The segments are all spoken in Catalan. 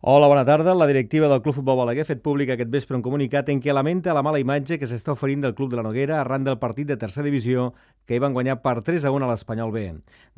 Hola, bona tarda. La directiva del Club Futbol Balaguer ha fet públic aquest vespre un comunicat en què lamenta la mala imatge que s'està oferint del Club de la Noguera arran del partit de tercera divisió que hi van guanyar per 3-1 a l'Espanyol B.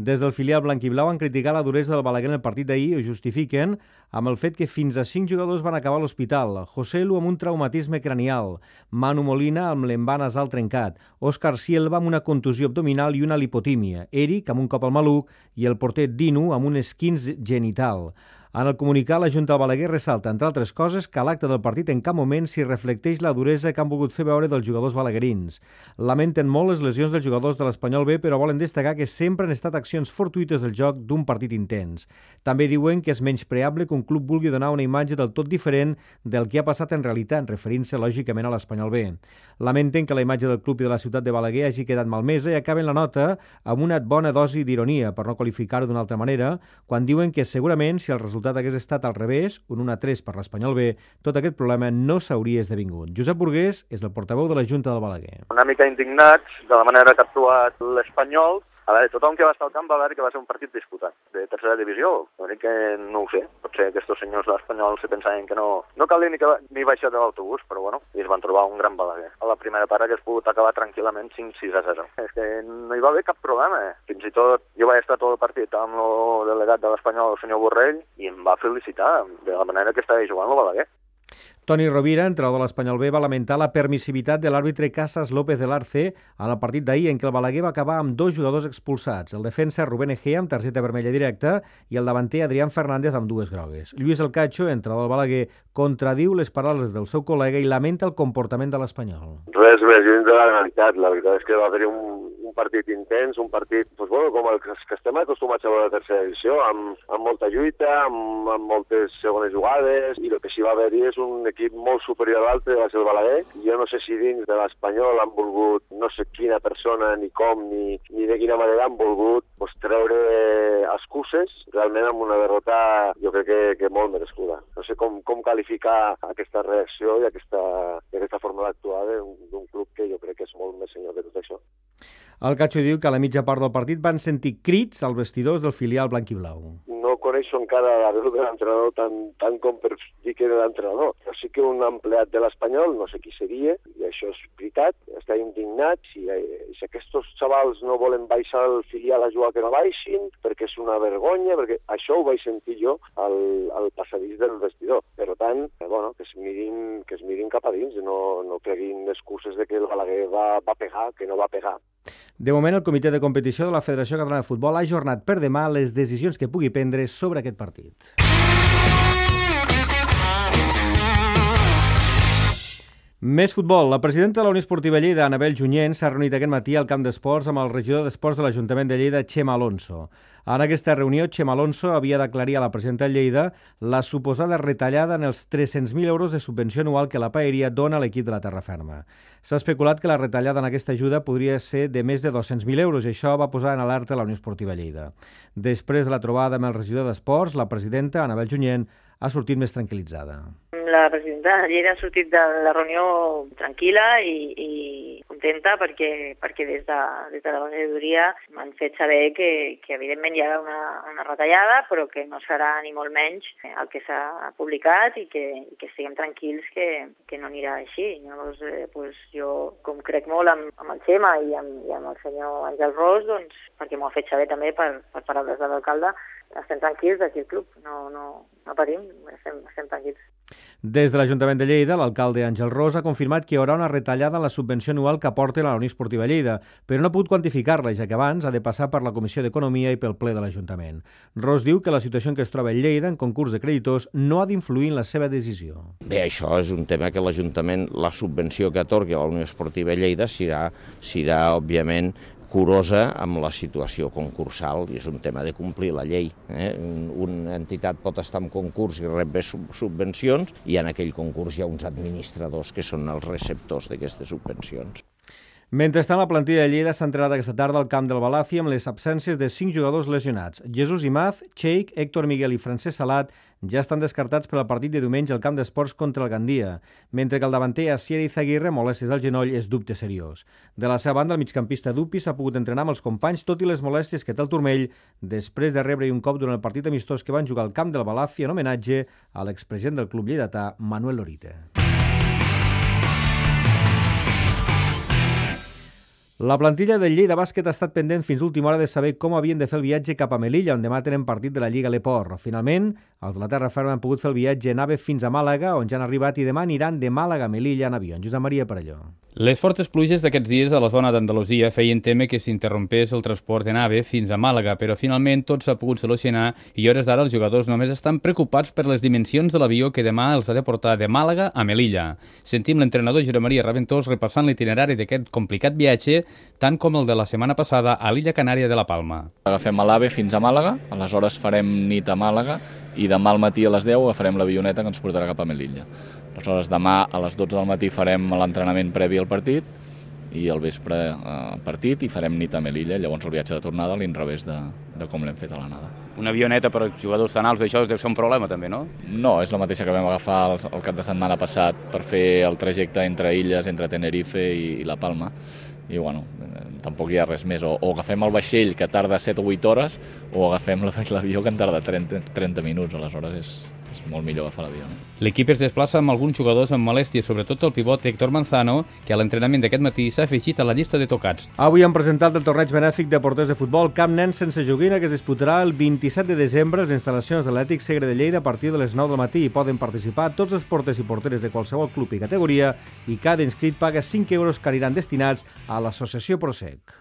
Des del filial blanquiblau han criticat la duresa del Balaguer en el partit d'ahir i ho justifiquen amb el fet que fins a 5 jugadors van acabar a l'hospital. José Lu amb un traumatisme cranial, Manu Molina amb l'envà nasal trencat, Òscar Sielva amb una contusió abdominal i una lipotímia, Eric amb un cop al maluc i el porter Dinu amb un esquinç genital. En el comunicat, la Junta del Balaguer ressalta, entre altres coses, que a l'acte del partit en cap moment s'hi reflecteix la duresa que han volgut fer veure dels jugadors balaguerins. Lamenten molt les lesions dels jugadors de l'Espanyol B, però volen destacar que sempre han estat accions fortuïtes del joc d'un partit intens. També diuen que és menyspreable que un club vulgui donar una imatge del tot diferent del que ha passat en realitat, referint-se lògicament a l'Espanyol B. Lamenten que la imatge del club i de la ciutat de Balaguer hagi quedat malmesa i acaben la nota amb una bona dosi d'ironia, per no qualificar-ho d'una altra manera, quan diuen que segurament si el resultat hagués estat al revés, un 1-3 per l'Espanyol B, tot aquest problema no s'hauria esdevingut. Josep Burgués és el portaveu de la Junta del Balaguer. Una mica indignats de la manera que ha actuat l'Espanyol. A veure, tothom que va estar al camp va veure que va ser un partit disputat de tercera divisió. L'únic que no ho sé. Potser aquests senyors de l'Espanyol se pensaven que no calia ni baixar de l'autobús, però bueno, i es van trobar un gran Balaguer. A la primera part hagués pogut acabar tranquil·lament 5-6-0. És que no hi va haver cap problema. Fins i tot jo vaig estar tot el partit amb el delegat de l'Espanyol, el senyor Borrell, i em va felicitar de la manera que estava jugant el Balaguer. Toni Rovira, entrenador de l'Espanyol B, va lamentar la permissivitat de l'àrbitre Casas López del Arce en el partit d'ahir en què el Balaguer va acabar amb 2 jugadors expulsats, el defensa Rubén Egea amb targeta vermella directa i el davanter Adrián Fernández amb 2 grogues. Lluís El Cacho, entrenador del Balaguer, contradiu les paraules del seu col·lega i lamenta el comportament de l'Espanyol. Res més lluny de la realitat. La veritat és que va haver un partit intens, un partit com els que estem acostumats a veure a la tercera divisió, amb molta lluita, amb moltes segones jugades, i el que sí va haver-hi és un equip molt superior a l'altre, va ser el Balaguer. Jo no sé si dins de l'Espanyol han volgut, no sé quina persona, ni com, ni de quina manera han volgut treure excuses, realment amb una derrota jo crec que molt merescuda. No sé com qualificar aquesta reacció i aquesta forma d'actuar d'un club que jo crec que és molt més senyor que tot això. El Cacho diu que a la mitja part del partit van sentir crits als vestidors del filial blanquiblau. No coneixo encara la veu de l'entrenador tant com per dir que era l'entrenador. Però sí que un empleat de l'Espanyol, no sé qui seria, i això és veritat, està indignat. Si aquests xavals no volen baixar al filial a jugar, que no baixin, perquè és una vergonya, perquè això ho vaig sentir jo al passadís del vestidor. Per tant, bueno, que es mirin cap a dins, no creguin excuses de que el Balaguer va pegar, que no va pegar. De moment, el comitè de competició de la Federació Catalana de Futbol ha ajornat per demà les decisions que pugui prendre sobre aquest partit. Més futbol. La presidenta de la Unió Esportiva Lleida, Anabel Junyent, s'ha reunit aquest matí al camp d'esports amb el regidor d'esports de l'Ajuntament de Lleida, Xema Alonso. En aquesta reunió, Xema Alonso havia d'aclarir a la presidenta de Lleida la suposada retallada en els 300.000 euros de subvenció anual que la Paeria dona a l'equip de la Terra Ferma. S'ha especulat que la retallada en aquesta ajuda podria ser de més de 200.000 euros i això va posar en alerta la Unió Esportiva Lleida. Després de la trobada amb el regidor d'esports, la presidenta, Anabel Junyent, ha sortit més tranquil·litzada. La presidenta de Lleida ha sortit de la reunió tranquil·la i contenta perquè des de la regidoria m'han fet saber que evidentment hi ha una retallada, però que no serà ni molt menys el que s'ha publicat i que estiguem tranquils que no anirà així. Llavors, jo, com crec molt amb el Xema i amb el senyor Àngel Ros, doncs, perquè m'ho ha fet saber també per paraules de l'alcalde, estem tranquils d'aquí el club, no patim, estem tranquils. Des de l'Ajuntament de Lleida, l'alcalde Àngel Ros ha confirmat que hi haurà una retallada en la subvenció anual que aporten a la Unió Esportiva Lleida, però no ha pogut quantificar-la, ja que abans ha de passar per la Comissió d'Economia i pel ple de l'Ajuntament. Ros diu que la situació en què es troba Lleida en concurs de creditors no ha d'influir en la seva decisió. Bé, això és un tema que l'Ajuntament, la subvenció que atorgui a la Unió Esportiva Lleida serà òbviament, curosa amb la situació concursal, i és un tema de complir la llei. Una entitat pot estar en concurs i rep subvencions, i en aquell concurs hi ha uns administradors que són els receptors d'aquestes subvencions. Mentrestant, la plantilla de Lleida s'ha entrenat aquesta tarda al camp del Balàfia amb les absències de 5 jugadors lesionats. Jesús Imaz, Cheik, Héctor Miguel i Francesc Salat ja estan descartats per al partit de diumenge al camp d'esports contra el Gandia, mentre que el davanter Asier Izaguirre, molèsties al genoll, és dubte seriós. De la seva banda, el migcampista Dupi s'ha pogut entrenar amb els companys, tot i les molèsties que té el turmell, després de rebre un cop durant el partit amistós que van jugar al camp del Balàfia en homenatge a l'expresident del club lleidatà, Manuel Lorita. La plantilla del Lleida Bàsquet ha estat pendent fins l'última hora de saber com havien de fer el viatge cap a Melilla, on demà tenen partit de la Lliga Leport. Finalment, els de la terra ferma han pogut fer el viatge en AVE fins a Màlaga, on ja han arribat, i demà aniran de Màlaga a Melilla en avió. Josep Maria Parelló. Les fortes pluges d'aquests dies a la zona d'Andalusia feien témer que s'interrompés el transport en AVE fins a Màlaga, però finalment tot s'ha pogut solucionar i a hores d'ara els jugadors només estan preocupats per les dimensions de l'avió que demà els ha de portar de Màlaga a Melilla. Sentim l'entrenador Josep Maria Raventós repassant l'itinerari d'aquest complicat viatge, tant com el de la setmana passada a l'illa Canària de la Palma. Agafem l'AVE fins a Màlaga, aleshores farem nit a Màlaga i demà al matí a les 10 agafarem l'avioneta que ens portarà cap a Melilla. Aleshores demà a les 12 del matí farem l'entrenament previ al partit i al vespre partit i farem nit a Melilla, llavors el viatge de tornada a l'inrevés de com l'hem fet a l'anada. Una avioneta per als jugadors tan alts, això deu ser un problema també, no? No, és la mateixa que vam agafar el cap de setmana passat per fer el trajecte entre illes, entre Tenerife i La Palma. I bueno, tampoc hi ha res més. O agafem el vaixell que tarda 7 o 8 hores o agafem l'avió que en tarda 30 minuts. Aleshores és molt millor agafar l'avió. L'equip es desplaça amb alguns jugadors amb molèsties, sobretot el pivot Héctor Manzano, que a l'entrenament d'aquest matí s'ha afegit a la llista de tocats. Avui han presentat el torneig benèfic de porters de futbol Camp Nens sense joguina, que es disputarà el 27 de desembre a les instal·lacions de l'Atlètic Segre de Lleida a partir de les 9 del matí. Hi poden participar tots els porters i porteres de qualsevol club i categoria i cada inscrit paga 5 euros que aniran destinats a l'associació Prosec.